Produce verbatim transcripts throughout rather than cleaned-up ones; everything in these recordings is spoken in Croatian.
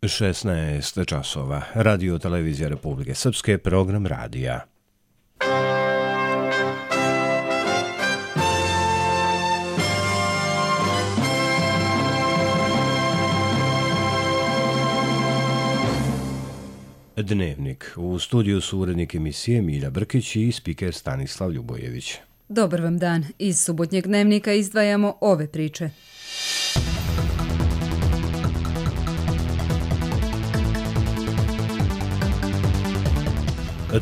šesnaest časova. Radio Televizija Republike Srpske, program radija. Dnevnik. U studiju su urednik emisije Milja Brkić i spiker Stanislav Ljubojević. Dobar vam dan. Iz subotnjeg dnevnika izdvajamo ove priče.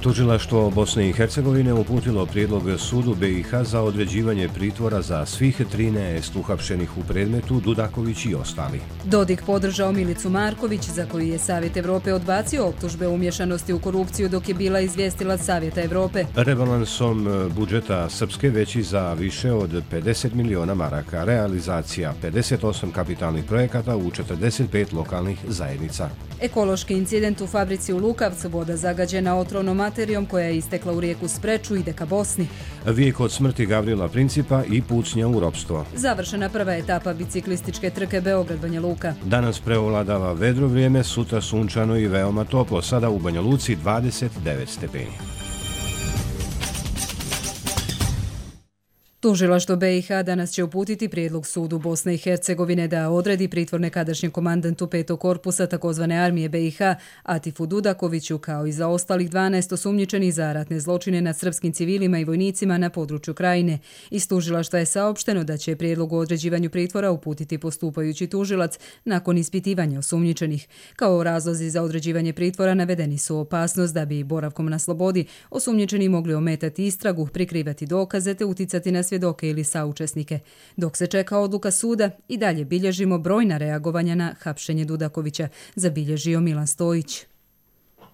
Tužilaštvo Bosne i Hercegovine uputilo prijedlog sudu B i H za određivanje pritvora za svih trinaest uhapšenih u predmetu Dudaković i ostali. Dodik podržao Milicu Marković, za koju je Savjet Evrope odbacio optužbe o umješanosti u korupciju dok je bila izvijestila Savjeta Evrope. Rebalansom budžeta Srpske veći za više od pedeset miliona maraka, realizacija pedeset osam kapitalnih projekata u četrdeset pet lokalnih zajednica. Ekološki incident u fabrici u Lukavcu, voda zagađena otrovnom materijom koja je istekla u rijeku Spreču, ide ka Bosni. Vijek od smrti Gavrila Principa i pucnja u ropstvo. Završena prva etapa biciklističke trke Beograd-Banja Luka. Danas preovladava vedro vrijeme, sutra sunčano i veoma toplo, sada u Banja Luci dvadeset devet stepeni. Tužilaštvo B i H danas će uputiti prijedlog sudu Bosne i Hercegovine da odredi pritvor nekadašnjem komandantu petog korpusa takozvane armije B i H Atifu Dudakoviću kao i za ostalih dvanaest osumnjičenih za ratne zločine nad srpskim civilima i vojnicima na području Krajine. Iz tužilaštva je saopšteno da će prijedlog o određivanju pritvora uputiti postupajući tužilac nakon ispitivanja osumnjičenih. Kao razlozi za određivanje pritvora navedeni su opasnost da bi boravkom na slobodi osumnjičeni mogli ometati istragu, prikrivati dokaze te uticati na svjedoke ili saučesnike. Dok se čeka odluka suda, i dalje bilježimo brojna reagovanja na hapšenje Dudakovića, zabilježio Milan Stojić.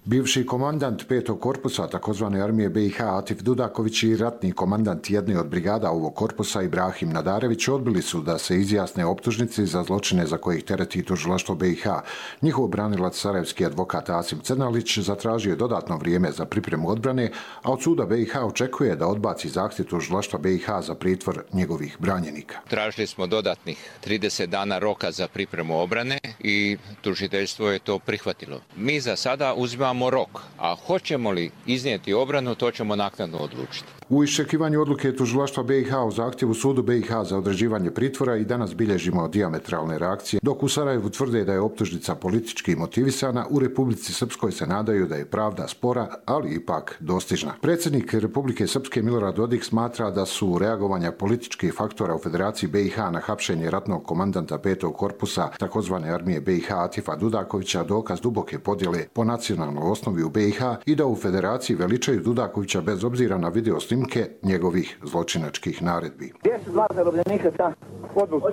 Bivši komandant petog korpusa takozvane armije B i H Atif Dudaković i ratni komandant jedne od brigada ovog korpusa Ibrahim Nadarević odbili su da se izjasne optužnici za zločine za kojih tereti tužilaštvo B i H. Njihov branilac sarajevski advokat Asim Crnalić zatražio je dodatno vrijeme za pripremu odbrane, a od suda B i H očekuje da odbaci zahtjev tužilaštva B i H za pritvor njegovih branjenika. Tražili smo dodatnih trideset dana roka za pripremu obrane i tužiteljstvo je to prihvatilo. Mi za sada uzimamo rok, a hoćemo li iznijeti obranu, to ćemo naknadno odlučiti. U iščekivanju odluke tužilaštva B i H o zahtjevu sudu B i H za određivanje pritvora i danas bilježimo dijametralne reakcije. Dok u Sarajevu tvrde da je optužnica politički motivisana, u Republici Srpskoj se nadaju da je pravda spora, ali ipak dostižna. Predsjednik Republike Srpske Milorad Dodik smatra da su reagovanja političkih faktora u Federaciji B i H na hapšenje ratnog komandanta petog korpusa takozvane armije B i H Atifa Dudakovića dokaz duboke podjele po nacionalnoj osnovi u B i H i da u Federaciji veličaju Dudakovića bez obzira na video snimke njegovih zločinačkih naredbi. Gdje su dva zarobljenika ta? Odluču.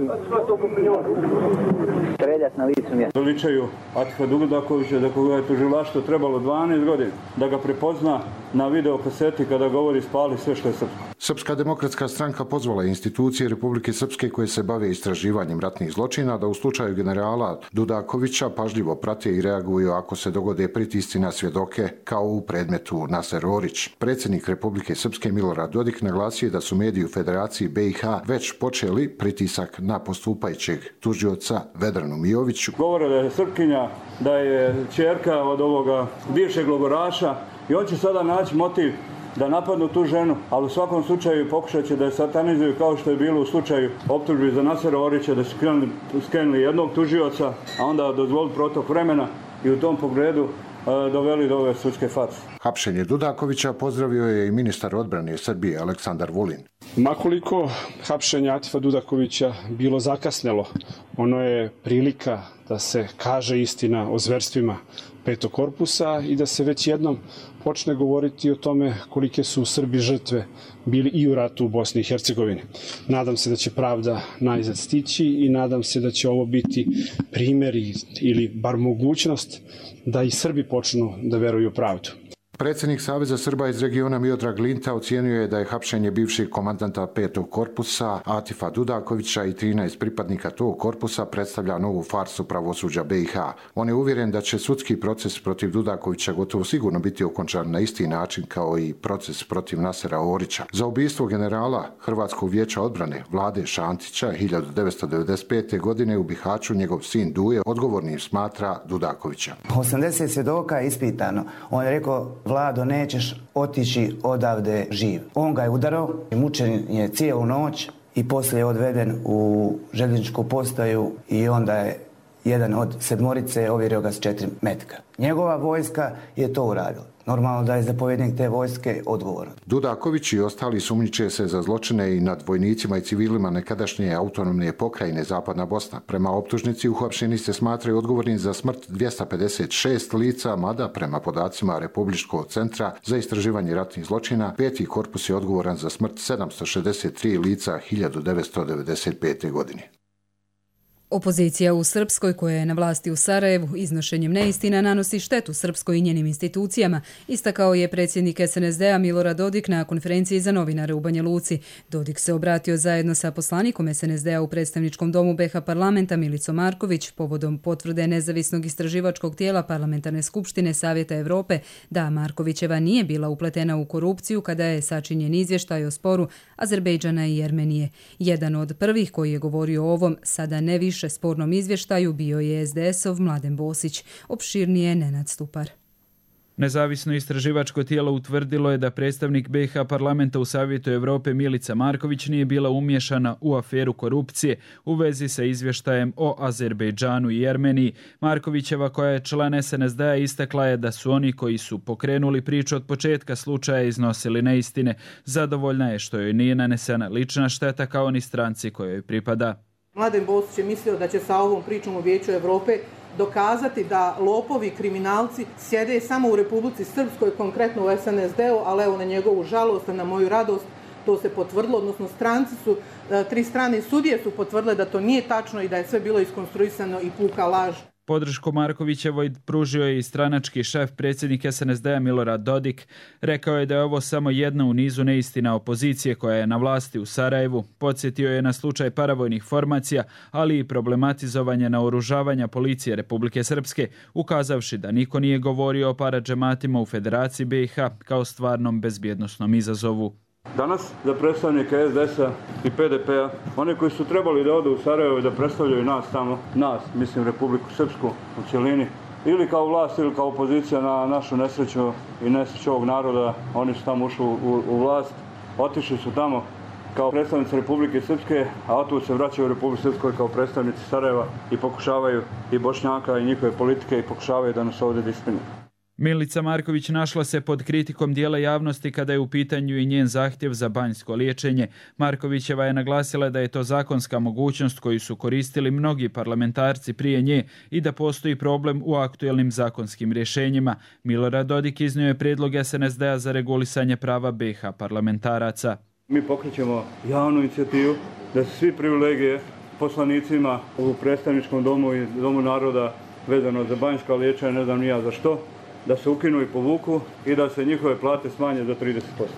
Streljat na licu mjesta. Veličaju Atifa Dudakovića da koga je tužilaštvo trebalo dvanaest godina da ga prepozna na video kaseti kada govori spali sve što je srpsko. Srpska demokratska stranka pozvala institucije Republike Srpske koje se bave istraživanjem ratnih zločina da u slučaju generala Dudakovića pažljivo prate i reaguju ako se dogode pritisci na svjedoke kao u predmetu Naser Orić. Predsjednik Republike Srpske Milorad Dodik naglasio da su mediji u Federaciji B i H već počeli pritisak na postupajućeg tužioca Vedranu Mijoviću. Govore da je Srpkinja, da je ćerka od ovoga bivšeg logoraša i on će sada naći motiv da napadnu tu ženu, ali u svakom slučaju pokušat će da je satanizuju kao što je bilo u slučaju optužbi za Nasera Orića, da su skrenuli jednog tužioca, a onda dozvolili protok vremena i u tom pogledu doveli do ove sudske farse. Hapšenje Dudakovića pozdravio je i ministar odbrane Srbije Aleksandar Vulin. Makoliko hapšenje Atifa Dudakovića bilo zakasnelo, ono je prilika da se kaže istina o zverstvima petog korpusa i da se već jednom počne govoriti o tome kolike su Srbi žrtve bili i u ratu u Bosni i Hercegovini. Nadam se da će pravda najzad stići i nadam se da će ovo biti primjer ili bar mogućnost da i Srbi počnu da veruju u pravdu. Predsjednik Saveza Srba iz regiona Miodrag Linta ocijenio je da je hapšenje bivšeg komandanta petog korpusa Atifa Dudakovića i trinaest pripadnika tog korpusa predstavlja novu farsu pravosuđa B i H. On je uvjeren da će sudski proces protiv Dudakovića gotovo sigurno biti okončan na isti način kao i proces protiv Nasera Orića. Za ubistvo generala Hrvatskog vijeća odbrane Vlade Šantića hiljadu devetsto devedeset pete. godine u Bihaću njegov sin Duje odgovornim smatra Dudakovića. osamdeset svjedoka je ispitano. On je rekao: Vlado, nećeš otići odavde živ. On ga je udarao, mučen je cijelu noć i poslije je odveden u željezničku postaju i onda je jedan od sedmorice ovjerio ga s četiri metka. Njegova vojska je to uradila. Normalno da je zapovjednik te vojske odgovoran. Dudaković i ostali sumnjiče se za zločine i nad vojnicima i civilima nekadašnje autonomne pokrajine Zapadna Bosna. Prema optužnici uhapšeni se smatraju odgovorni za smrt dvjesto pedeset šest lica, mada prema podacima Republičkog centra za istraživanje ratnih zločina, peti korpus je odgovoran za smrt sedamsto šezdeset tri lica hiljadu devetsto devedeset pete. godine. Opozicija u Srpskoj, koja je na vlasti u Sarajevu, iznošenjem neistina nanosi štetu Srpskoj i njenim institucijama, istakao je predsjednik S N S D-a Milorad Dodik na konferenciji za novinare u Banja Luci. Dodik se obratio zajedno sa poslanikom S N S D-a u predstavničkom domu B H parlamenta Milicom Marković povodom potvrde nezavisnog istraživačkog tijela Parlamentarne skupštine Savjeta Europe da Markovićeva nije bila upletena u korupciju kada je sačinjen izvještaj o sporu Azerbejdžana i Jermenije. Jedan od prvih koji je govorio o ovom, sada ne više spornom izvještaju, bio je S D S-ov Mladen Bosić. Opširnije Nenad Stupar. Nezavisno istraživačko tijelo utvrdilo je da predstavnik B i H parlamenta u Savjetu Europe Milica Marković nije bila umiješana u aferu korupcije u vezi sa izvještajem o Azerbejdžanu i Jermeniji. Markovićeva, koja je član S N S D-a, istakla je da su oni koji su pokrenuli priču od početka slučaja iznosili neistine. Zadovoljna je što joj nije nanesena lična šteta kao ni stranci kojoj pripada. Mladen Bosić je mislio da će sa ovom pričom u Vijeću Europe dokazati da lopovi i kriminalci sjede samo u Republici Srpskoj, konkretno u S N S D-u, ali evo na njegovu žalost, a na moju radost to se potvrdilo, odnosno stranci su, tri strane sudije su potvrdile da to nije tačno i da je sve bilo iskonstruisano i puka laž. Podršku Markovićevoj pružio je i stranački šef, predsjednik S N S D-a Milorad Dodik. Rekao je da je ovo samo jedna u nizu neistina opozicije koja je na vlasti u Sarajevu. Podsjetio je na slučaj paravojnih formacija, ali i problematizovanje naoružavanja policije Republike Srpske, ukazavši da niko nije govorio o paradžematima u Federaciji B i H kao stvarnom bezbjednosnom izazovu. Danas za predstavnike S D S-a i P D P-a, oni koji su trebali da odu u Sarajevo i da predstavljaju nas tamo, nas, mislim Republiku Srpsku u cjelini, ili kao vlast ili kao opozicija na našu nesreću i nesreću ovog naroda, oni su tamo ušli u, u vlast, otišli su tamo kao predstavnici Republike Srpske, a otud se vraćaju u Republiku Srpskoj kao predstavnici Sarajeva i pokušavaju i Bošnjaka i njihove politike i pokušavaju da nas ovdje disciplinuju. Milica Marković našla se pod kritikom dijela javnosti kada je u pitanju i njen zahtjev za banjsko liječenje. Markovićeva je naglasila da je to zakonska mogućnost koju su koristili mnogi parlamentarci prije nje i da postoji problem u aktuelnim zakonskim rješenjima. Milorad Dodik iznio je prijedlog S N S D-a za regulisanje prava B i H parlamentaraca. Mi pokrećemo javnu inicijativu da se svi privilegije poslanicima u predstavničkom domu i domu naroda vezano za banjska liječenja, ne znam ni ja za što, da se ukinu i povuku i da se njihove plate smanje za trideset posto.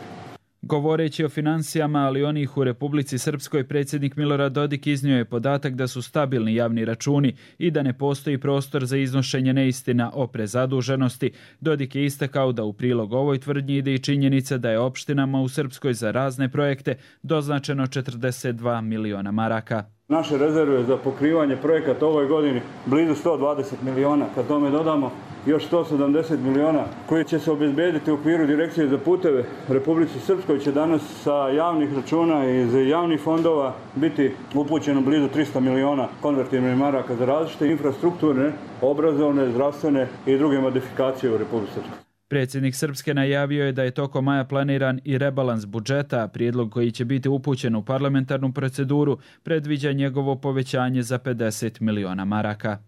Govoreći o financijama, ali onih u Republici Srpskoj, predsjednik Milorad Dodik iznio je podatak da su stabilni javni računi i da ne postoji prostor za iznošenje neistina o prezaduženosti. Dodik je istakao da u prilog ovoj tvrdnji ide i činjenica da je opštinama u Srpskoj za razne projekte doznačeno četrdeset dva miliona maraka. Naše rezerve za pokrivanje projekata ovoj godini blizu sto dvadeset miliona. Kad tome dodamo još sto sedamdeset miliona koji će se obezbediti u okviru Direkcije za puteve Republici Srpskoj, će danas sa javnih računa i iz javnih fondova biti upućeno blizu tristo miliona konvertibilnih maraka za različite infrastrukturne, obrazovne, zdravstvene i druge modifikacije u Republici Srpskoj. Predsjednik Srpske najavio je da je tokom maja planiran i rebalans budžeta, prijedlog koji će biti upućen u parlamentarnu proceduru predviđa njegovo povećanje za pedeset miliona maraka.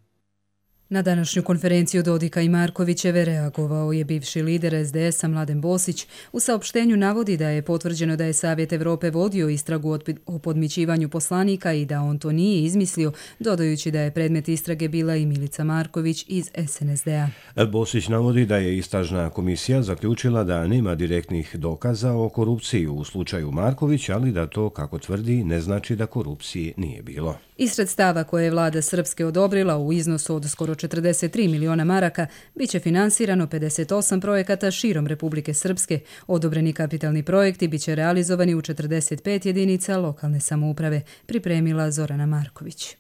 Na današnju konferenciju Dodika i Markovićeve reagovao je bivši lider es de es a Mladen Bosić. U saopštenju navodi da je potvrđeno da je Savjet Evrope vodio istragu o podmićivanju poslanika i da on to nije izmislio, dodajući da je predmet istrage bila i Milica Marković iz es en es de a. Bosić navodi da je istražna komisija zaključila da nema direktnih dokaza o korupciji u slučaju Marković, ali da to, kako tvrdi, ne znači da korupcije nije bilo. Iz sredstava koje je vlada Srpske odobrila u iznosu od skoro četrdeset tri miliona maraka, bit će finansirano pedeset osam projekata širom Republike Srpske. Odobreni kapitalni projekti bit će realizovani u četrdeset pet jedinica lokalne samouprave, pripremila Zorana Marković.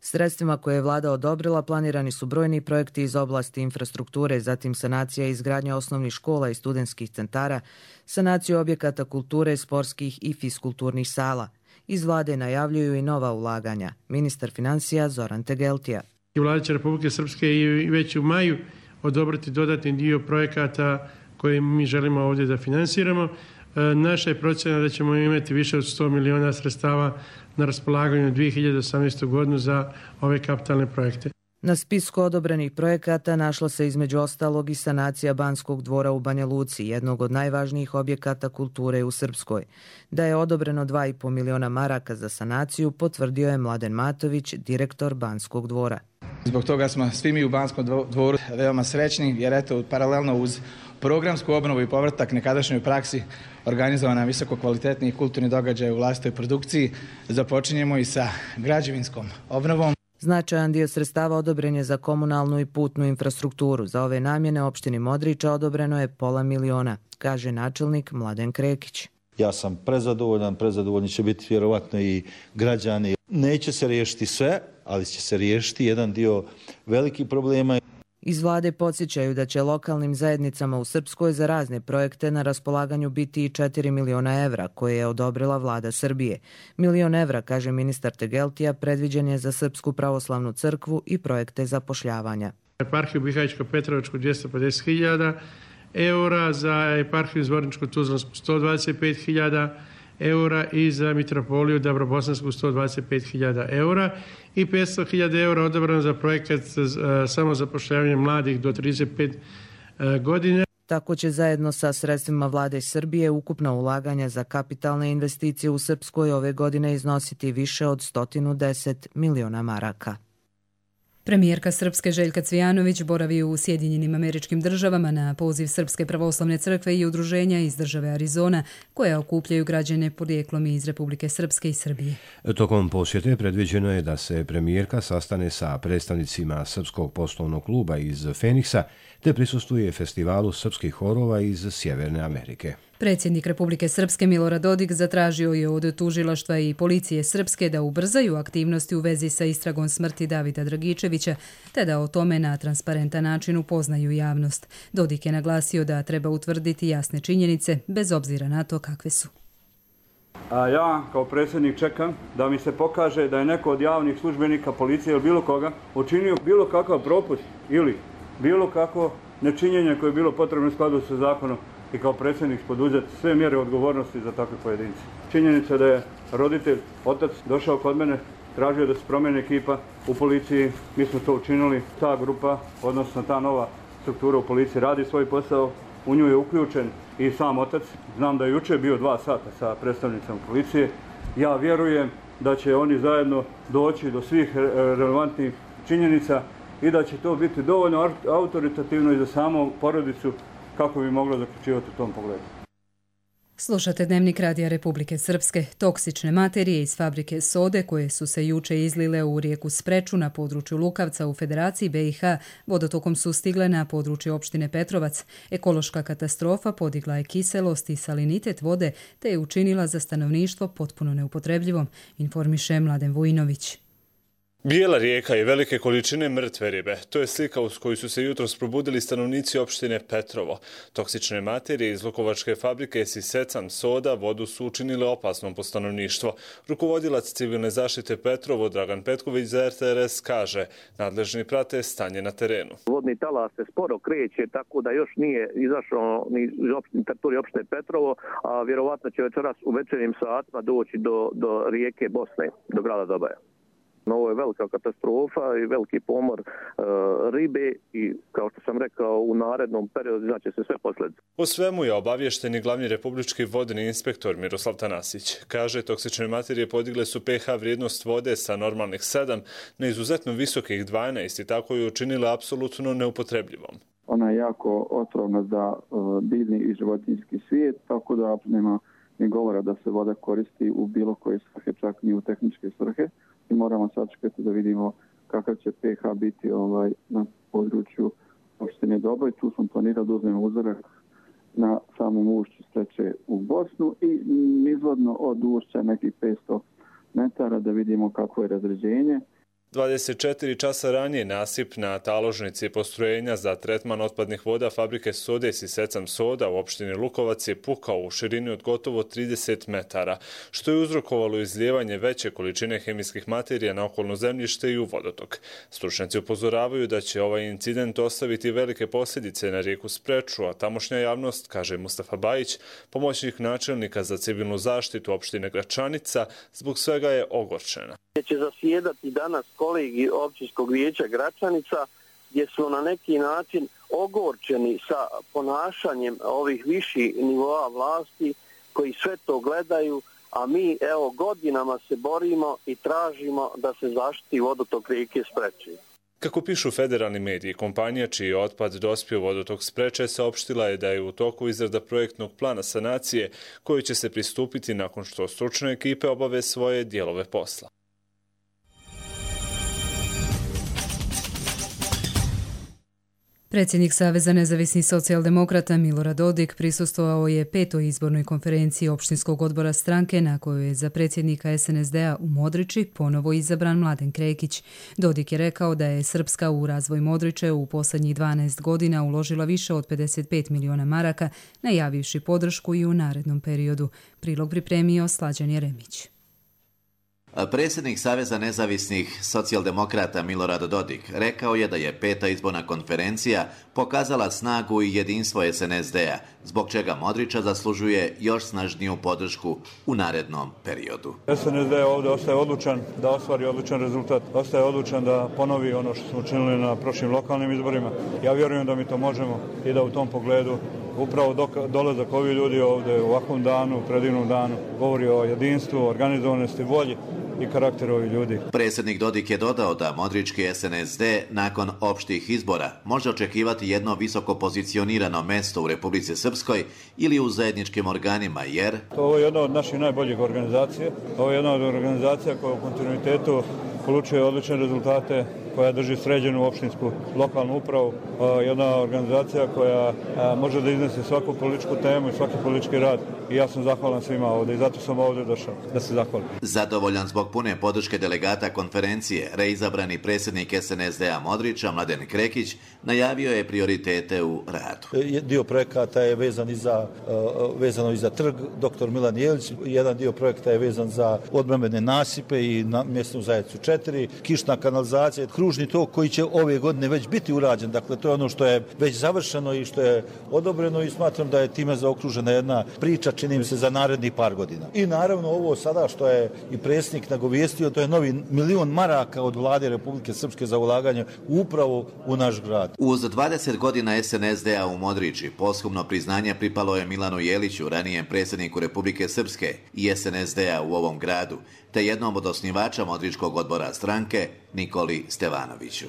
Sredstvima koje je vlada odobrila planirani su brojni projekti iz oblasti infrastrukture, zatim sanacija i izgradnja osnovnih škola i studentskih centara, sanaciju objekata kulture, sportskih i fiskulturnih sala. Iz vlade najavljuju i nova ulaganja. Ministar financija Zoran Tegeltija. Vlada će Republike Srpske i već u maju odobriti dodatni dio projekata koje mi želimo ovdje da finansiramo. Naša je procjena da ćemo imati više od sto miliona sredstava na raspolaganju dvije hiljade osamnaeste. godinu za ove kapitalne projekte. Na spisku odobrenih projekata našla se između ostalog i sanacija Banskog dvora u Banja Luci, jednog od najvažnijih objekata kulture u Srpskoj. Da je odobreno dva i po miliona maraka za sanaciju, potvrdio je Mladen Matović, direktor Banskog dvora. Zbog toga smo svi mi u Banskom dvoru veoma srećni, jer eto, paralelno uz programsku obnovu i povratak nekadašnjoj praksi organizovana visoko kvalitetni i kulturni događaj u vlastitoj produkciji, započinjemo i sa građevinskom obnovom. Značajan dio sredstava odobren je za komunalnu i putnu infrastrukturu. Za ove namjene opštini Modriča odobreno je pola miliona, kaže načelnik Mladen Krekić. Ja sam prezadovoljan, prezadovoljni će biti vjerovatno i građani. Neće se riješiti sve, ali će se riješiti jedan dio velikih problema. Iz vlade podsjećaju da će lokalnim zajednicama u Srpskoj za razne projekte na raspolaganju biti i četiri miliona evra koje je odobrila vlada Srbije. Milion evra, kaže ministar Tegeltija, predviđen je za Srpsku pravoslavnu crkvu i projekte zapošljavanja. Eparhiju Bihaćko-Petrovačku dvjesto pedeset hiljada eura, za eparhiju Zvorničko-Tuzlansku sto dvadeset pet hiljada eura i za mitropoliju Dabrobosansku sto dvadeset pet hiljada eura i petsto hiljada eura odobrano za projekat samozapošljavanja mladih do trideset pet godine. Tako će zajedno sa sredstvima vlade Srbije ukupna ulaganja za kapitalne investicije u Srpskoj ove godine iznositi više od sto deset miliona maraka. Premijerka Srpske Željka Cvijanović boravi u Sjedinjenim Američkim Državama na poziv Srpske pravoslavne crkve i udruženja iz države Arizona, koja okupljaju građane porijeklom iz Republike Srpske i Srbije. Tokom posjete predviđeno je da se premijerka sastane sa predstavnicima Srpskog poslovnog kluba iz Feniksa, te prisustvuje festivalu srpskih horova iz Sjeverne Amerike. Predsjednik Republike Srpske Milorad Dodik zatražio je od tužilaštva i policije Srpske da ubrzaju aktivnosti u vezi sa istragom smrti Davida Dragičevića, te da o tome na transparentan način upoznaju javnost. Dodik je naglasio da treba utvrditi jasne činjenice, bez obzira na to kakve su. A ja kao predsjednik čekam da mi se pokaže da je neko od javnih službenika, policije ili bilo koga učinio bilo kakav propust ili bilo kako nečinjenje koje je bilo potrebno u skladu sa zakonom i kao predsjednik poduzeti sve mjere odgovornosti za takve pojedince. Činjenica da je roditelj, otac, došao kod mene, tražio da se promijeni ekipa u policiji, mi smo to učinili. Ta grupa, odnosno ta nova struktura u policiji radi svoj posao, u nju je uključen i sam otac. Znam da je jučer bio dva sata sa predstavnicama policije. Ja vjerujem da će oni zajedno doći do svih relevantnih činjenica i da će to biti dovoljno autoritativno i za samu porodicu kako bi moglo zaključivati u tom pogledu. Slušate Dnevnik Radija Republike Srpske. Toksične materije iz fabrike sode koje su se juče izlile u rijeku Spreču na području Lukavca u Federaciji be i ha vodotokom su stigle na područje opštine Petrovac. Ekološka katastrofa podigla je kiselost i salinitet vode te je učinila za stanovništvo potpuno neupotrebljivom, informiše Mladen Vujinović. Bijela rijeka i velike količine mrtve ribe. To je slika uz koju su se jutros probudili stanovnici opštine Petrovo. Toksične materije iz lukovačke fabrike Sisecan soda vodu su učinile opasnom po stanovništvo. Rukovodilac civilne zaštite Petrovo Dragan Petković za er te er es kaže, nadležni prate stanje na terenu. Vodni talas se sporo kreće, tako da još nije izašao ni iz teritorija opštine Petrovo, a vjerovatno će večeras u večernjim satima doći do, do rijeke Bosne, do grada Dobaja. Ovo je velika katastrofa i veliki pomor e, ribe i, kao što sam rekao, u narednom periodu znači se sve posljedice. O svemu je obavješteni glavni republički vodni inspektor Miroslav Tanasić. Kaže, toksične materije podigle su pH vrijednost vode sa normalnih sedam na izuzetno visokih dvanaest i tako je učinila apsolutno neupotrebljivom. Ona je jako otrovna za uh, biljni i životinjski svijet, tako da nema ni govora da se voda koristi u bilo koje svrhe, čak ni u tehničke svrhe. I moramo sačekati da vidimo kakav će pH biti ovaj, na području opštine Dobro. I tu sam planirao da uzmem uzorak na samom ušću Streče u Bosnu i izvodno od ušća nekih petsto metara da vidimo kako je razređenje. dvadeset četiri časa ranije nasip na taložnici postrojenja za tretman otpadnih voda fabrike Sodes i Secam Soda u opštini Lukovac je pukao u širini od gotovo trideset metara, što je uzrokovalo izlijevanje veće količine hemijskih materija na okolno zemljište i u vodotok. Stručnjaci upozoravaju da će ovaj incident ostaviti velike posljedice na rijeku Spreču, a tamošnja javnost, kaže Mustafa Bajić, pomoćnik načelnika za civilnu zaštitu opštine Gračanica, zbog svega je ogorčena. Će zasjedati danas kolegi općinskog vijeća Gračanica gdje su na neki način ogorčeni sa ponašanjem ovih viših nivoa vlasti koji sve to gledaju, a mi evo godinama se borimo i tražimo da se zaštiti vodotok rijeke Spreče. Kako pišu federalni mediji, kompanija čiji je otpad dospio u vodotok Spreče saopštila je da je u toku izrada projektnog plana sanacije koji će se pristupiti nakon što stručne ekipe obave svoje dijelove posla. Predsjednik Saveza nezavisnih socijaldemokrata Milorad Dodik prisustvovao je petoj izbornoj konferenciji opštinskog odbora stranke na kojoj je za predsjednika es en es de a u Modriči ponovo izabran Mladen Krekić. Dodik je rekao da je Srpska u razvoj Modriče u posljednjih dvanaest godina uložila više od pedeset pet miliona maraka, najavivši podršku i u narednom periodu. Prilog pripremio Slađan Jeremić. Predsjednik Saveza nezavisnih socijaldemokrata Milorad Dodik rekao je da je peta izborna konferencija pokazala snagu i jedinstvo es en es de a, zbog čega Modriča zaslužuje još snažniju podršku u narednom periodu. es en es de ovdje ostaje odlučan da ostvari odlučan rezultat, ostaje odlučan da ponovi ono što smo učinili na prošlim lokalnim izborima. Ja vjerujem da mi to možemo i da u tom pogledu upravo dok, dolazak ovih ljudi ovdje u ovakvom danu, predivnom danu, govori o jedinstvu, organizovanosti, volji i karakteru ovih ljudi. Predsjednik Dodik je dodao da modrički es en es de nakon opštih izbora može očekivati jedno visoko pozicionirano mesto u Republici Srpskoj ili u zajedničkim organima, jer... Ovo je jedna od naših najboljih organizacija. Ovo je jedna od organizacija koja u kontinuitetu polučuje odlične rezultate, koja drži sređenu opštinsku lokalnu upravu, jedna organizacija koja može da iznese svaku političku temu i svaki politički rad. I ja sam zahvalan svima ovdje i zato sam ovdje došao da se zahvalim. Zadovoljan zbog pune podrške delegata konferencije, reizabrani predsjednik es en es de a Modriča, Mladen Krekić, najavio je prioritete u radu. Dio projekata je vezan i za, vezano i za trg doktor Milan Jelić, jedan dio projekta je vezan za odbrambene nasipe i na mjesnu zajednicu četiri, kišna kanalizacija, kružni tok koji će ove godine već biti urađen. Dakle, to je ono što je već završeno i što je odobreno i smatram da je time zaokružena jedna priča, čini mi se, za narednih par godina. I naravno ovo sada što je i predsjednik nagovijestio, to je novi milion maraka od vlade Republike Srpske za ulaganje upravo u naš grad. Uz dvadeset godina es en es de a u Modriči posthumno priznanje pripalo je Milanu Jeliću, ranijem predsjedniku Republike Srpske i es en es de a u ovom gradu, te jednom od osnivača Modričkog odbora stranke, Nikoli Stevanoviću.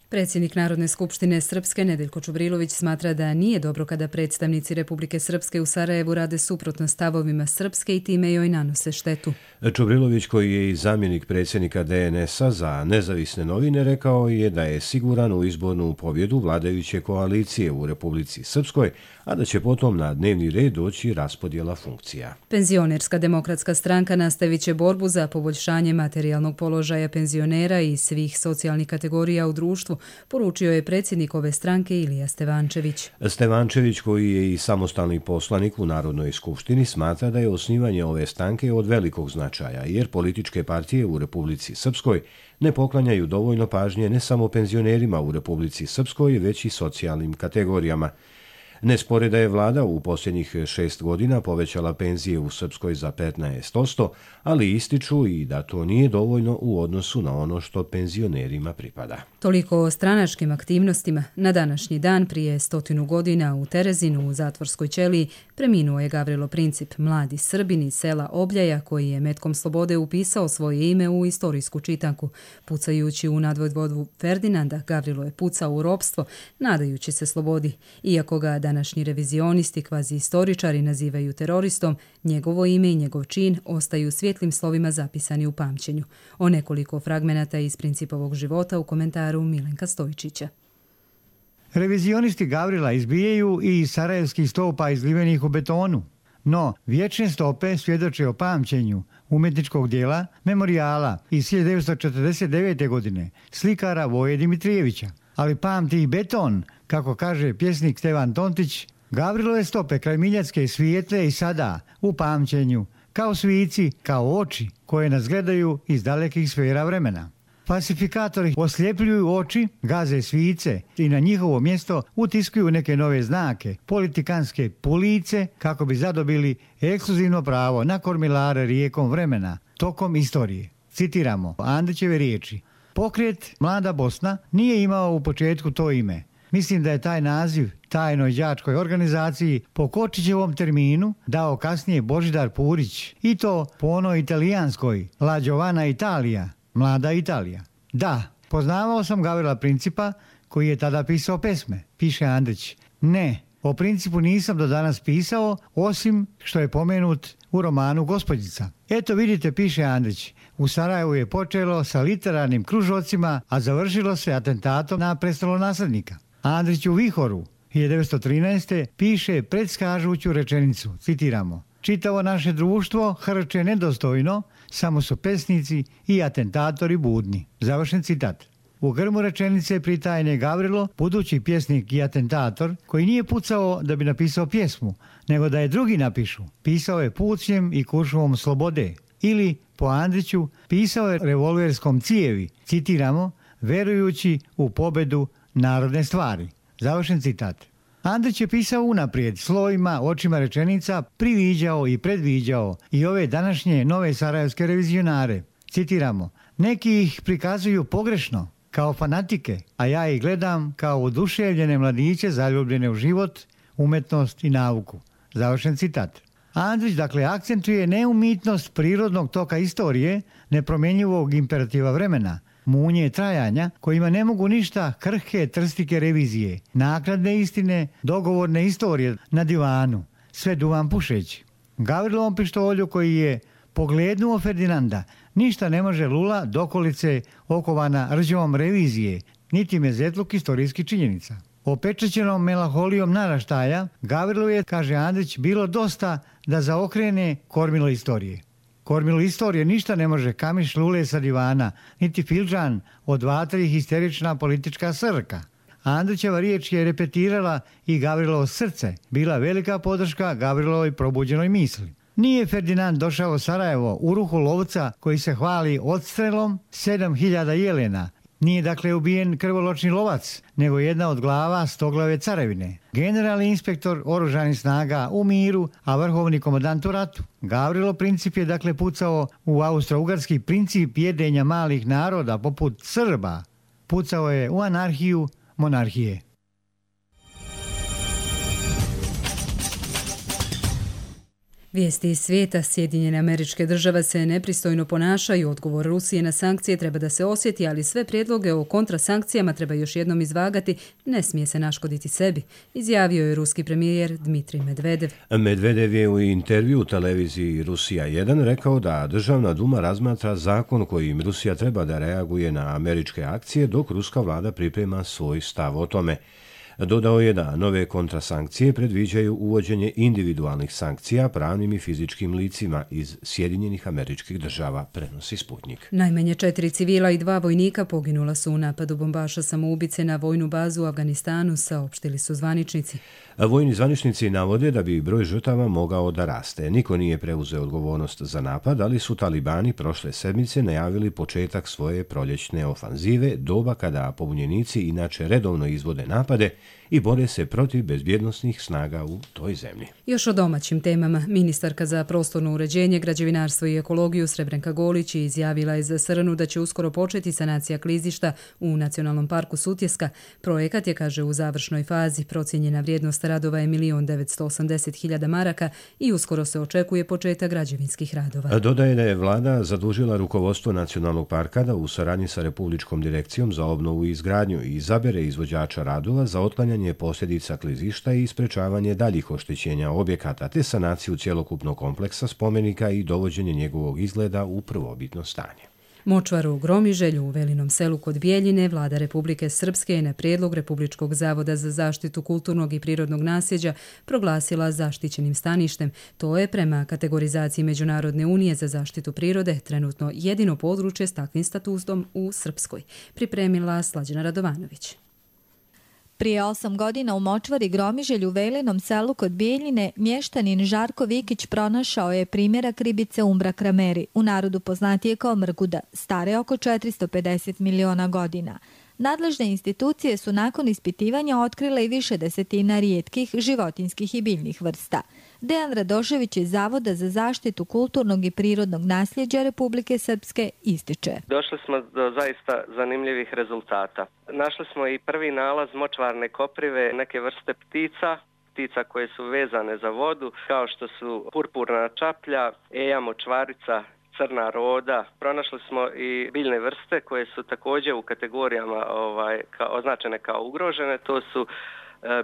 Predsjednik Narodne skupštine Srpske Nedeljko Čubrilović smatra da nije dobro kada predstavnici Republike Srpske u Sarajevu rade suprotno stavovima Srpske i time joj nanose štetu. Čubrilović, koji je i zamjenik predsjednika de en es a za nezavisne novine, rekao je da je siguran u izbornu pobjedu vladajuće koalicije u Republici Srpskoj, a da će potom na dnevni red doći raspodjela funkcija. Penzionerska demokratska stranka nastavit će borbu za poboljšanje materijalnog položaja penzionera i svih socijalnih kategorija u društvu, poručio je predsjednik ove stranke Ilija Stevančević. Stevančević, koji je i samostalni poslanik u Narodnoj skupštini, smatra da je osnivanje ove stranke od velikog značaja, jer političke partije u Republici Srpskoj ne poklanjaju dovoljno pažnje ne samo penzionerima u Republici Srpskoj, već i socijalnim kategorijama. Ne spore da je vlada u posljednjih šest godina povećala penzije u Srpskoj za petnaest posto, ali ističu i da to nije dovoljno u odnosu na ono što penzionerima pripada. Toliko o stranačkim aktivnostima. Na današnji dan prije stotinu godina u Terezinu u zatvorskoj ćeliji preminuo je Gavrilo Princip, mladi Srbin iz sela Obljaja koji je metkom slobode upisao svoje ime u istorijsku čitanku. Pucajući u nadvojvodu Ferdinanda, Gavrilo je pucao u ropstvo, nadajući se slobodi. Iako ga današnji revizionisti, kvazi istoričari nazivaju teroristom, njegovo ime i njegov čin ostaju svjetlim slovima zapisani u pamćenju. O nekoliko fragmenata iz Principovog života u komentaru Milenka Stojčića. Revizionisti Gavrila izbijaju i iz sarajevskih stopa izlivenih u betonu. No, vječne stope svjedoče o pamćenju umjetničkog dijela Memorijala iz hiljadu devetsto četrdeset devete. godine slikara Voje Dimitrijevića. Ali pamti i beton, kako kaže pjesnik Stevan Tontić, Gavrilove stope kraj Miljacke svijetle i sada u pamćenju, kao svici, kao oči koje nas gledaju iz dalekih sfera vremena. Falsifikatori osljepljuju oči, gaze svice i na njihovo mjesto utiskuju neke nove znake, politikanske police, kako bi zadobili ekskluzivno pravo na kormilare rijekom vremena, tokom istorije. Citiramo Andrićeve riječi. Pokret Mlada Bosna nije imao u početku to ime. Mislim da je taj naziv tajnoj đačkoj organizaciji po Kočićevom terminu dao kasnije Božidar Purić, i to po onoj italijanskoj La Giovana Italia, Mlada Italija. Da, poznavao sam Gavrila Principa koji je tada pisao pesme, piše Andrić. Ne, o Principu nisam do danas pisao, osim što je pomenut u romanu Gospođica. Eto vidite, piše Andrić, u Sarajevu je počelo sa literarnim kružocima, a završilo se atentatom na prestolonaslednika. Andrić u Vihoru hiljadu devetsto trinaeste. piše predskažuću rečenicu, citiramo: čitavo naše društvo hrče nedostojno, samo su pesnici i atentatori budni. Završen citat. U grmu rečenice pritajne Gavrilo, budući pjesnik i atentator, koji nije pucao da bi napisao pjesmu, nego da je drugi napišu. Pisao je pucnjem i kuršuvom slobode. Ili, po Andriću, pisao je revolverskom cijevi, citiramo, verujući u pobedu narodne stvari. Završen citat. Andrić je pisao unaprijed, slovima, očima rečenica, priviđao i predviđao i ove današnje nove sarajevske revizionare. Citiramo: neki ih prikazuju pogrešno, kao fanatike, a ja ih gledam kao oduševljene mladiće zaljubljene u život, umetnost i nauku. Završen citat. Andrić dakle akcentuje neumitnost prirodnog toka istorije, nepromjenjivog imperativa vremena, munje trajanja kojima ne mogu ništa krhke trstike revizije, naknadne istine, dogovorne istorije na divanu, sve duvan pušeći. Gavrilovom pištolju koji je poglednuo Ferdinanda ništa ne može lula dokolice okovana rđevom revizije, niti mezetluk istorijskih činjenica. Opečećenom melanholijom naraštaja, Gavrilu je, kaže Andrić, bilo dosta da zaokrene kormilo istorije. Kormilo istorije ništa ne može kamiš lule sa divana, niti filđan od vatri histerična politička srka. Andrićeva riječ je repetirala i Gavrilovo srce, bila velika podrška Gavrilovoj probuđenoj misli. Nije Ferdinand došao u Sarajevo u ruhu lovca koji se hvali odstrelom sedam hiljada jelena. Nije dakle ubijen krvoločni lovac, nego jedna od glava stoglave carevine. Generalni inspektor oružanih snaga u miru, a vrhovni komandant u ratu. Gavrilo Princip je dakle pucao u austro-ugarski princip jedenja malih naroda poput Srba. Pucao je u anarhiju monarhije. Vijesti iz svijeta. Sjedinjene Američke Države se nepristojno ponašaju. Odgovor Rusije na sankcije treba da se osjeti, ali sve prijedloge o kontrasankcijama treba još jednom izvagati. Ne smije se naškoditi sebi, izjavio je ruski premijer Dmitrij Medvedev. Medvedev je u intervju u televiziji Rusija jedan rekao da Državna duma razmatra zakon kojim Rusija treba da reaguje na američke akcije, dok ruska vlada priprema svoj stav o tome. Dodao je da nove kontrasankcije predviđaju uvođenje individualnih sankcija pravnim i fizičkim licima iz Sjedinjenih Američkih Država, prenosi Sputnik. Najmanje četiri civila i dva vojnika poginula su u napadu bombaša samoubice na vojnu bazu u Afganistanu, saopštili su zvaničnici. Vojni zvaničnici navode da bi broj žrtava mogao da raste. Niko nije preuzeo odgovornost za napad, ali su talibani prošle sedmice najavili početak svoje proljećne ofanzive, doba kada pobunjenici inače redovno izvode napade i bore se protiv bezbjednosnih snaga u toj zemlji. Još o domaćim temama. Ministarka za prostorno uređenje, građevinarstvo i ekologiju Srebrenka Golić je izjavila iz Srnu da će uskoro početi sanacija klizišta u Nacionalnom parku Sutjeska. Projekat je, kaže, u završnoj fazi. Procijenjena vrijednost radova je milion devetsto osamdeset hiljada maraka i uskoro se očekuje početak građevinskih radova. Dodaje da je vlada zadužila rukovodstvo Nacionalnog parka da u saradnji sa Republičkom direkcijom za obnovu i izgradnju izabere izvođača radova za otklanjanje posljedica klizišta i sprečavanje daljih oštećenja objekata te sanaciju cjelokupnog kompleksa spomenika i dovođenje njegovog izgleda u prvobitno stanje. Močvaru u Gromiželju u Velinom selu kod Bijeljine vlada Republike Srpske je na prijedlog Republičkog zavoda za zaštitu kulturnog i prirodnog nasljeđa proglasila zaštićenim staništem. To je prema kategorizaciji Međunarodne unije za zaštitu prirode trenutno jedino područje s takvim statusom u Srpskoj. Pripremila Slađana Radovanović. Prije osam godina u močvari Gromiželju u Velinom selu kod Bijeljine mještanin Žarko Vikić pronašao je primjerak ribice Umbra krameri, u narodu poznatije kao mrguda, stare oko četiristo pedeset miliona godina. Nadležne institucije su nakon ispitivanja otkrile i više desetina rijetkih životinjskih i biljnih vrsta. Dejan Radošević iz Zavoda za zaštitu kulturnog i prirodnog nasljeđa Republike Srpske ističe. Došli smo do zaista zanimljivih rezultata. Našli smo i prvi nalaz močvarne koprive, neke vrste ptica, ptica koje su vezane za vodu, kao što su purpurna čaplja, eja močvarica, crna roda. Pronašli smo i biljne vrste koje su također u kategorijama ovaj, kao, označene kao ugrožene. To su e,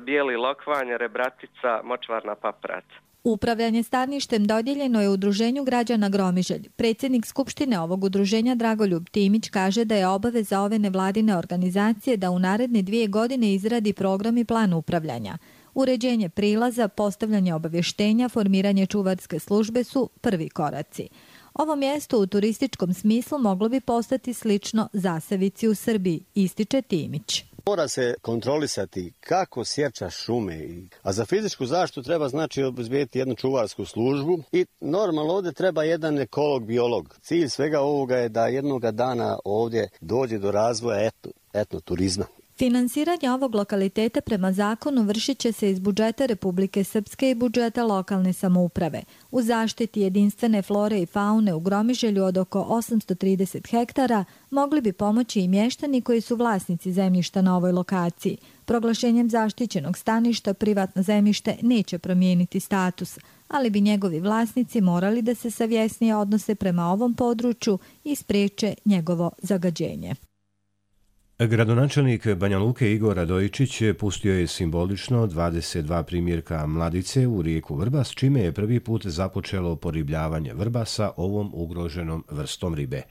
bijeli lokvanj, rebratica, močvarna paprat. Upravljanje staništem dodijeljeno je Udruženju građana Gromiželj. Predsjednik Skupštine ovog udruženja Dragoljub Timić kaže da je obaveza ove nevladine organizacije da u naredne dvije godine izradi program i plan upravljanja. Uređenje prilaza, postavljanje obavještenja, formiranje čuvarske službe su prvi koraci. Ovo mjesto u turističkom smislu moglo bi postati slično Zasavici u Srbiji, ističe Timić. Mora se kontrolisati kako sječa šume, a za fizičku zaštitu treba znači obezbediti jednu čuvarsku službu i normalno ovdje treba jedan ekolog, biolog. Cilj svega ovoga je da jednoga dana ovdje dođe do razvoja etno, etnoturizma. Finansiranje ovog lokaliteta prema zakonu vršit će se iz budžeta Republike Srpske i budžeta lokalne samouprave. U zaštiti jedinstvene flore i faune u Gromiželju od oko osamsto trideset hektara mogli bi pomoći i mještani koji su vlasnici zemljišta na ovoj lokaciji. Proglašenjem zaštićenog staništa privatno zemljište neće promijeniti status, ali bi njegovi vlasnici morali da se savjesnije odnose prema ovom području i spriječe njegovo zagađenje. Gradonačelnik Banja Luke Igor Radojičić pustio je simbolično dvadeset dva primjerka mladice u rijeku Vrbas, čime je prvi put započelo poribljavanje vrbasa ovom ugroženom vrstom ribe.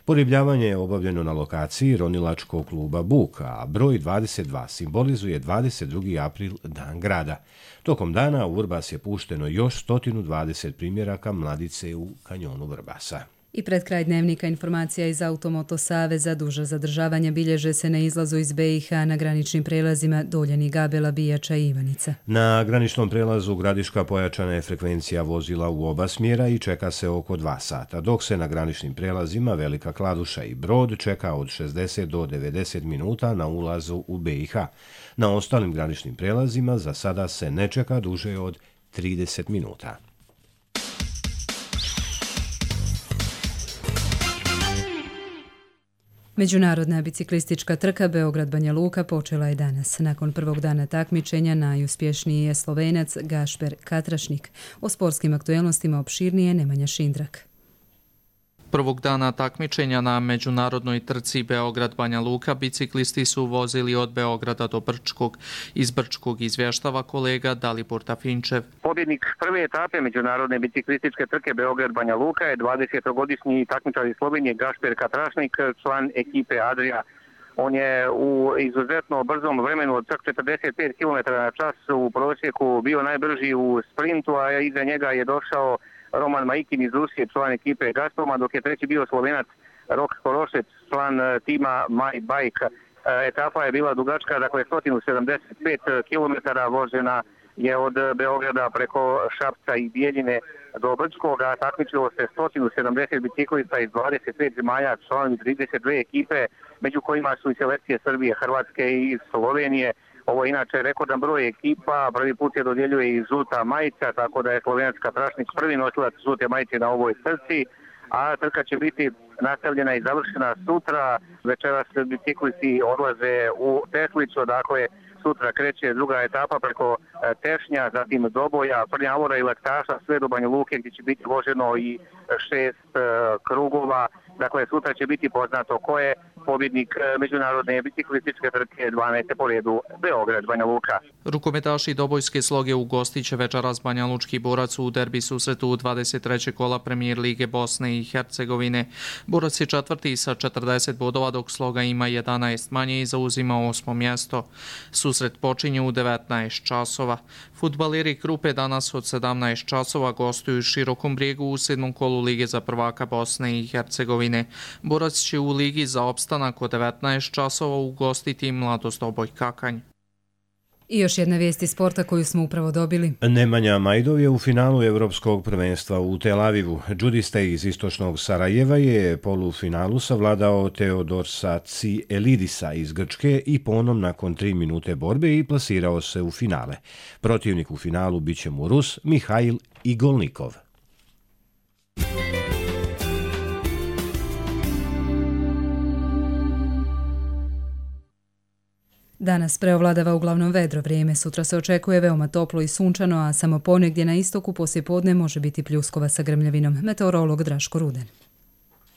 Poribljavanje je obavljeno na lokaciji ronilačkog kluba Buk, a broj dvadeset dva simbolizuje dvadeset drugi april, dan grada. Tokom dana u Vrbas je pušteno još sto dvadeset primjeraka mladice u kanjonu Vrbasa. I pred kraj dnevnika informacija iz Automoto Saveza. Duže zadržavanje bilježe se na izlazu iz be i ha na graničnim prelazima Doljani, Gabela, Bijača i Ivanica. Na graničnom prelazu Gradiška pojačana je frekvencija vozila u oba smjera i čeka se oko dva sata, dok se na graničnim prelazima Velika Kladuša i Brod čeka od šezdeset do devedeset minuta na ulazu u be i ha. Na ostalim graničnim prelazima za sada se ne čeka duže od trideset minuta. Međunarodna biciklistička trka Beograd-Banja Luka počela je danas. Nakon prvog dana takmičenja najuspješniji je Slovenac Gašper Katrašnik. O sportskim aktuelnostima opširnije Nemanja Šindrak. Prvog dana takmičenja na međunarodnoj trci Beograd-Banja Luka biciklisti su vozili od Beograda do Brčkog. Iz Brčkog izvještava kolega Dalibor Tafinčev. Pobjednik prve etape međunarodne biciklističke trke Beograd-Banja Luka je dvadesetogodišnji takmičar iz Slovenije Gašper Katrašnik, član ekipe Adria. On je u izuzetno brzom vremenu od čak četrdeset pet kilometara na čas u prosjeku bio najbrži u sprintu, a iza njega je došao Roman Majkin iz Rusije, član ekipe Gazproma, dok je treći bio Slovenac Rok Korošec, član tima My Bike. Etapa je bila dugačka, dakle sto sedamdeset pet kilometara, vožena je od Beograda preko Šapca i Bijeljine do Brčkoga. Takmičilo se sto sedamdeset biciklista iz dvadeset pet zemalja, članovi trideset dvije ekipe, među kojima su i selekcije Srbije, Hrvatske i Slovenije. Ovo je inače rekordan broj ekipa, prvi put je dodjeljuje i žuta majica, tako da je slovenačka Trašnik prvi nosilac žute majice na ovoj trci, a trka će biti nastavljena i završena sutra. Večeras biciklisti odlaze u Teslicu, dakle sutra kreće druga etapa preko Tešnja, zatim Doboja, Prnjavora i Laktaša, sve do Banja Luke gdje će biti voženo i šest krugova. Dakle, sutra će biti poznato ko je pobjednik međunarodne biciklističke trke dvanaeste po redu Beograd Banja Luka. Rukometaši dobojske sloge ugostit će večeras Banja Lučki Borac u derbi susretu dvadeset trećeg kola Premijer Lige Bosne i Hercegovine. Borac je četvrti sa četrdeset bodova, dok sloga ima jedanaest manje i zauzima osmo mjesto. Susret počinje u devetnaest časova. Fudbaleri Krupe danas od sedamnaest časova gostuju Širokom Brijegu u sedmom kolu Lige za prvaka Bosne i Hercegovine. Borac će u Ligi za opstanak od devetnaest časova ugostiti Mladost Doboj Kakanj. I još jedna vijest iz sporta koju smo upravo dobili. Nemanja Majdov je u finalu Evropskog prvenstva u Tel Avivu. Džudista iz istočnog Sarajeva je polufinalu savladao Teodorsa Tsielidisa iz Grčke i ponom nakon tri minute borbe i plasirao se u finale. Protivnik u finalu biće mu Rus Mihail Igolnikov. Danas preovladava uglavnom vedro vrijeme, sutra se očekuje veoma toplo i sunčano, a samo ponegdje na istoku poslijepodne može biti pljuskova sa grmljavinom. Meteorolog Draško Ruden.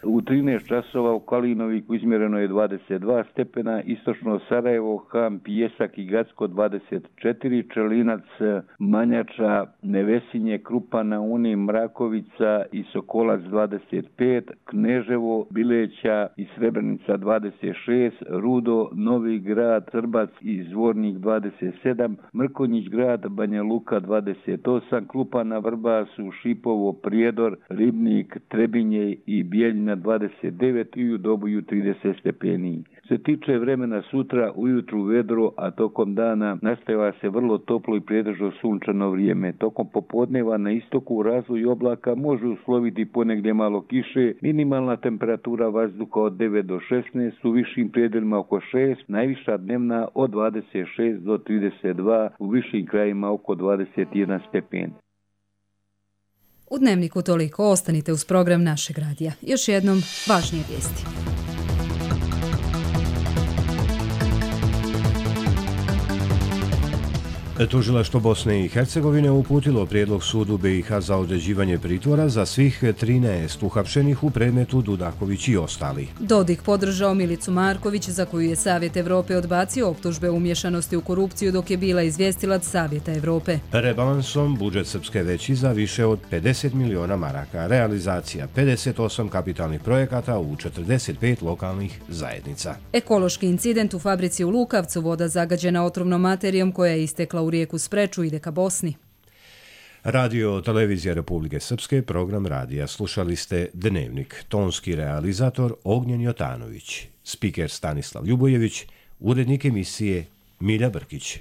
U trinaest časova u Kalinoviku izmjereno je dvadeset dva stepena, istočno Sarajevo, Ham, Pijesak i Gacko dvadeset četiri, Čelinac, Manjača, Nevesinje, Krupa na Uni, Mrakovica i Sokolac dvadeset pet, Kneževo, Bileća i Srebrenica dvadeset šest, Rudo, Novi Grad, Trbac i Zvornik dvadeset sedam, Mrkonjić Grad, Banja Luka dvadeset osam, Klupa na Vrbasu, Šipovo, Prijedor, Ribnik, Trebinje i Bijeljina dvadeset devet i u Doboju trideset stepeni. Se tiče vremena sutra, ujutru vedro, a tokom dana nastavlja se vrlo toplo i pretežno sunčano vrijeme. Tokom popodneva na istoku u razvoju oblaka može usloviti ponegdje malo kiše, minimalna temperatura vazduha od devet do šesnaest, u višim predelima oko šest, najviša dnevna od dvadeset šest do trideset dva, u višim krajima oko dvadeset jedan stepen. U Dnevniku toliko, ostanite uz program našeg radija. Još jednom, važnije vijesti. Tužilaštvo Bosne i Hercegovine uputilo prijedlog sudu B i H za određivanje pritvora za svih trinaest uhapšenih u predmetu Dudaković i ostali. Dodik podržao Milicu Marković, za koju je Savjet Evrope odbacio optužbe umješanosti u korupciju dok je bila izvjestilac Savjeta Evrope. Rebalansom budžet Srpske veći za više od pedeset miliona maraka, realizacija pedeset osam kapitalnih projekata u četrdeset pet lokalnih zajednica. Ekološki incident u fabrici u Lukavcu, voda zagađena otrovnom materijom koja je istekla u rijeku Spreču ide ka Bosni. Radio Televizija Republike Srpske, program radija. Slušali ste Dnevnik. Tonski realizator Ognjen Jotanović. Spiker Stanislav Ljubojević. Urednik emisije Milja Brkić.